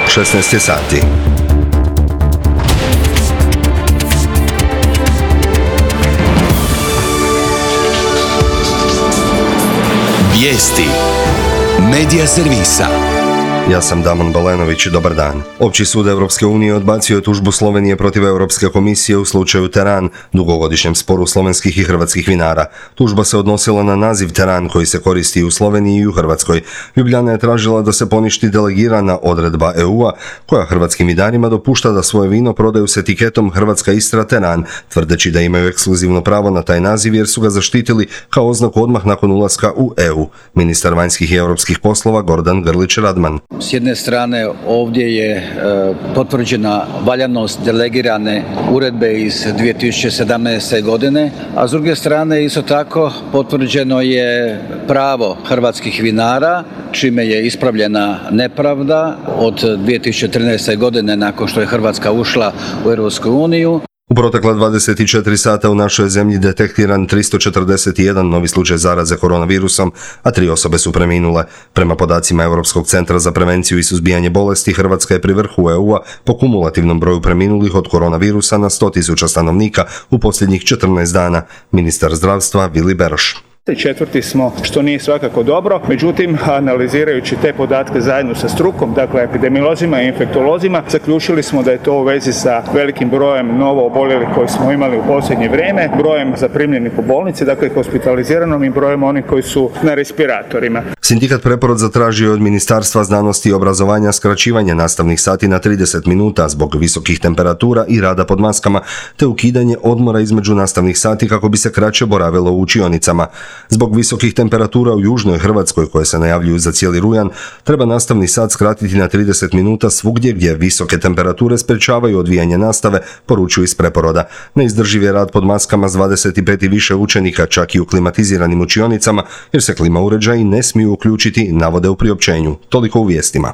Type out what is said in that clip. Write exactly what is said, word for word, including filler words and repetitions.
šesnaest je sati. Vijesti Medija servisa. Ja sam Damon Balenović, dobar dan. Opći sud Europske unije odbacio je tužbu Slovenije protiv Europske komisije u slučaju Teran, dugogodišnjem sporu slovenskih i hrvatskih vinara. Tužba se odnosila na naziv Teran koji se koristi u Sloveniji i u Hrvatskoj. Ljubljana je tražila da se poništi delegirana odredba E U-a koja hrvatskim vinarima dopušta da svoje vino prodaju s etiketom Hrvatska Istra Teran, tvrdeći da imaju ekskluzivno pravo na taj naziv jer su ga zaštitili kao oznaku odmah nakon ulaska u E U. Ministar vanjskih i europskih poslova Gordan Grlić-Radman. S jedne strane ovdje je e, potvrđena valjanost delegirane uredbe iz dvije tisuće sedamnaeste. godine, a s druge strane isto tako potvrđeno je pravo hrvatskih vinara, čime je ispravljena nepravda od dvije tisuće trinaeste. godine nakon što je Hrvatska ušla u Europsku uniju. U protekla dvadeset četiri sata u našoj zemlji detektiran tristo četrdeset jedan novi slučaj zaraze koronavirusom, a tri osobe su preminule. Prema podacima Europskog centra za prevenciju i suzbijanje bolesti, Hrvatska je pri vrhu E U-a po kumulativnom broju preminulih od koronavirusa na sto tisuća stanovnika u posljednjih četrnaest dana. Ministar zdravstva Vili Beroš. Četvrti smo, što nije svakako dobro, međutim, analizirajući te podatke zajedno sa strukom, dakle epidemiolozima i infektolozima, zaključili smo da je to u vezi sa velikim brojem novo oboljelih koji smo imali u posljednje vrijeme, brojem zaprimljenih u bolnici, dakle hospitaliziranom i brojem onih koji su na respiratorima. Sindikat Preporod zatražio je od Ministarstva znanosti i obrazovanja skraćivanje nastavnih sati na trideset minuta zbog visokih temperatura i rada pod maskama, te ukidanje odmora između nastavnih sati kako bi se kraće boravilo u učionicama. Zbog visokih temperatura u južnoj Hrvatskoj koje se najavljuju za cijeli rujan, treba nastavni sat skratiti na trideset minuta svugdje gdje visoke temperature sprečavaju odvijanje nastave, poručuju iz Preporoda. Neizdrživ je rad pod maskama s dvadeset pet i više učenika, čak i u klimatiziranim učionicama, jer se klima uređaji ne smiju uključiti, navode u priopćenju. Toliko u vijestima.